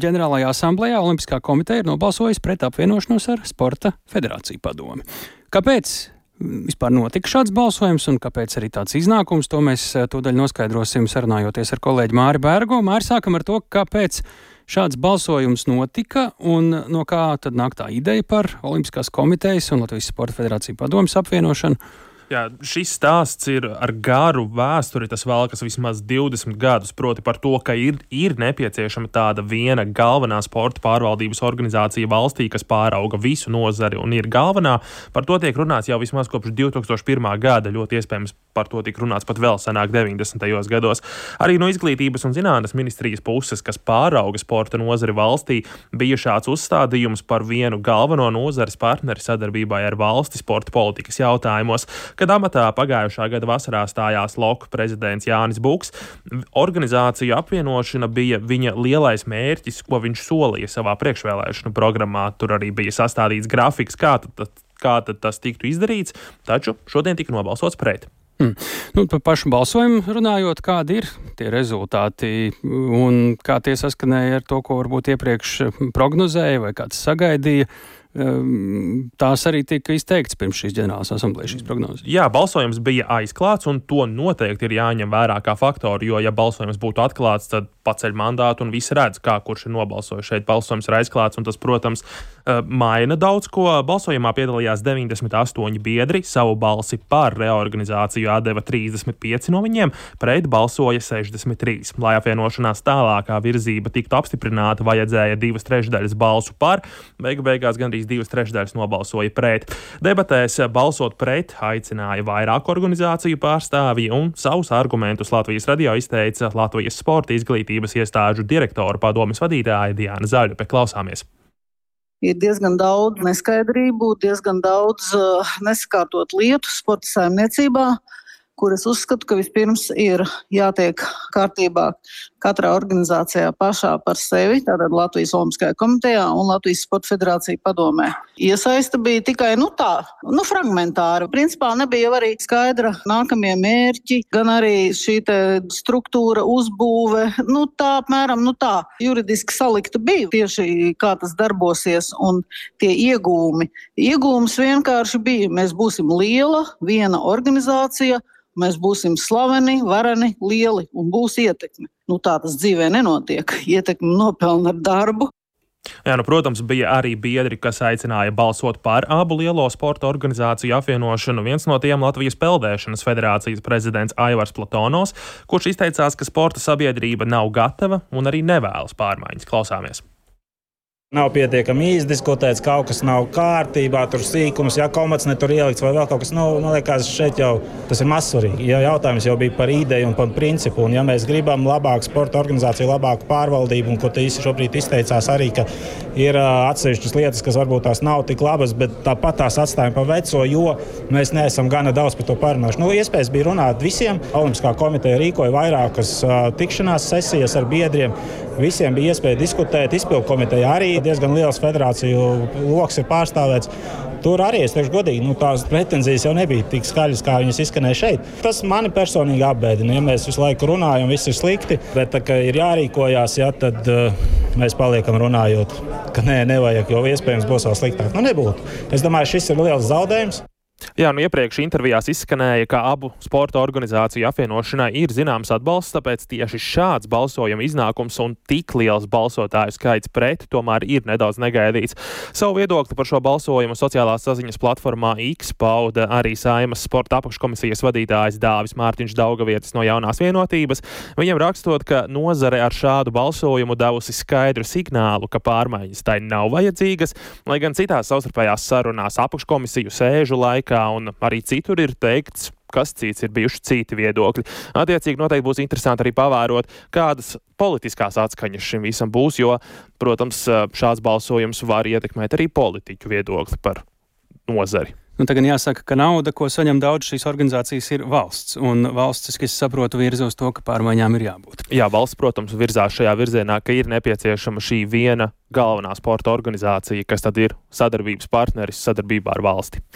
ģenerālajā asamblejā Olimpiskā komiteja ir nobalsojusi pret apvienošanos ar Sporta federāciju padomi. Kāpēc vispār notika šāds balsojums un kāpēc arī tāds iznākums? To mēs tūdaļ noskaidrosim sarunājoties ar kolēģi Māri Bērgo. Māri, sākam ar to, kāpēc šāds balsojums notika un no kā tad nāk tā ideja par Olimpiskās komitejas un Latvijas Sporta federāciju padomes apvienošanu. Jā, šis stāsts ir ar garu vēsturi, tas velkas vismaz 20 gadus, proti par to, ka ir nepieciešama tāda viena galvenā sporta pārvaldības organizācija valstī, kas pārauga visu nozari un ir galvenā. Par to tiek runāts jau vismaz kopš 2001. gada, ļoti iespējams par to tika runāts pat vēl senāk 90. gados. Arī no Izglītības un zinātnes ministrijas puses, kas pārauga sporta nozari valstī, bija šāds uzstādījums par vienu galveno nozares partneri sadarbībai ar valsti sporta politikas jautājumos. Kad amatā pagājušā gada vasarā stājās LOK prezidents Jānis Buks, organizāciju apvienošana bija viņa lielais mērķis, ko viņš solīja savā priekšvēlēšanu programmā. Tur arī bija sastādīts grafiks, kā tad tas tiktu izdarīts, taču šodien tika nobalsots pret. Par pašu balsojumu runājot, kādi ir tie rezultāti un kā tie saskanēja ar to, ko varbūt iepriekš prognozēja vai kāds sagaidīja? Tās arī tika izteikts pirms šīs ģenerālās asamblējas šīs prognozes. Jā, balsojums bija aizklāts, un to noteikti ir jāņem vērā kā faktoru, jo, ja balsojums būtu atklāts, tad paceļ mandātu un visi redz, kurš ir nobalsojis. Šeit balsojums ir aizklāts, un tas, protams, maina daudz ko. Balsojumā piedalījās 98 biedri, savu balsi par reorganizāciju atdeva 35 no viņiem, pret balsoja 63. Lai apvienošanās tālākā virzība tiktu apstiprināta, vajadzēja 2/3 balsu par, beigās gandrīz 2/3 nobalsoja pret. Debatēs balsot pret aicināja vairāk organizāciju pārstāvji un savus argumentus Latvijas radio izteica Latvijas sporta izglītības iestāžu direktora padomes vadītāja Diana Zaļupe. Klausāmies. Ir diezgan daudz neskaidrību, diezgan daudz nesakārtot lietu sporta saimniecībā, kuras uzskatu, ka vispirms ir jātiek kārtībā katrā organizācijā pašā par sevi, tātad Latvijas Olimpiskajā komitejā un Latvijas Sporta federācija padomē. Iesaista bija tikai fragmentāra. Principā nebija arī skaidra nākamie mērķi, gan arī šī struktūra, uzbūve, apmēram tā. Juridiski salikta bija tieši kā tas darbosies un tie iegūmi. Iegūms vienkārši bija, mēs būsim liela, viena organizācija, mēs būsim slaveni, vareni, lieli un būs ietekme. Tā tas dzīvē nenotiek. Ietekme nopelna ar darbu. Jā, protams, bija arī biedri, kas aicināja balsot par abu lielo sporta organizāciju apvienošanu. Viens no tiem Latvijas peldēšanas federācijas prezidents Aivars Platonovs, kurš izteicās, ka sporta sabiedrība nav gatava un arī nevēlas pārmaiņas. Klausāmies. Nav pietiekami izdiskutēts, kaut kas nav kārtībā, tur sīkums, komats ne tur ielikts vai vēl kaut kas. Liekas, šeit jau tas ir mazsvarīgi. Jautājums jau bija par ideju un par principu. Un ja mēs gribam labāku sporta organizāciju, labāku pārvaldību, un ko te šobrīd izteicās arī, ka ir atsevišķas lietas, kas varbūt tās nav tik labas, bet tāpat tās atstājam pa veco, jo mēs neesam gana daudz par to pārunājuši. Iespējas bija runāt visiem. Olimpiskā komiteja rīkoja vairākas tikšanās sesijas ar biedriem. Visiem bija iespēja diskutēt, izpildu komiteja arī diezgan liels federāciju loks ir pārstāvēts. Tur arī, es teikšu godīgi, tās pretenzijas jau nebija tik skaļas, kā viņas izskanēja šeit. Tas mani personīgi apbēdina. Ja mēs visu laiku runājam, viss ir slikti, bet tā kā ir jārīkojās, tad mēs paliekam runājot, ka nevajag, jo iespējams būs vēl sliktāk. Nebūtu. Es domāju, šis ir liels zaudējums. Jā, iepriekš intervijās izskanēja, ka abu sporta organizāciju apvienošanai ir zināms atbalsts, tāpēc tieši šāds balsojuma iznākums un tik liels balsotāju skaits pret tomēr ir nedaudz negaidīts. Savu viedokli par šo balsojumu sociālās saziņas platformā X pauda arī Saeimas sporta apakškomisijas vadītājs Dāvis Mārtiņš Daugavietis no Jaunās vienotības. Viņam rakstot, ka nozare ar šādu balsojumu devusi skaidru signālu, ka pārmaiņas tai nav vajadzīgas, lai gan citās savstarpējās sarunās apakškomisiju sēžu laikā un arī citur ir teikts, kas cits ir bijuši citi viedokļi. Attiecīgi noteikti būs interesanti arī pavērot, kādas politiskās atskaņas šim visam būs, jo, protams, šāds balsojums var ietekmēt arī politiķu viedokli par nozari. Tagad jāsaka, ka nauda, ko saņem daudz šīs organizācijas, ir valsts. Un valsts, es saprotu, virza uz to, ka pārmaiņām ir jābūt. Jā, valsts, protams, virzās šajā virzienā, ka ir nepieciešama šī viena galvenā sporta organizācija, kas tad ir sadarbības partneris sadarbībā ar valsti.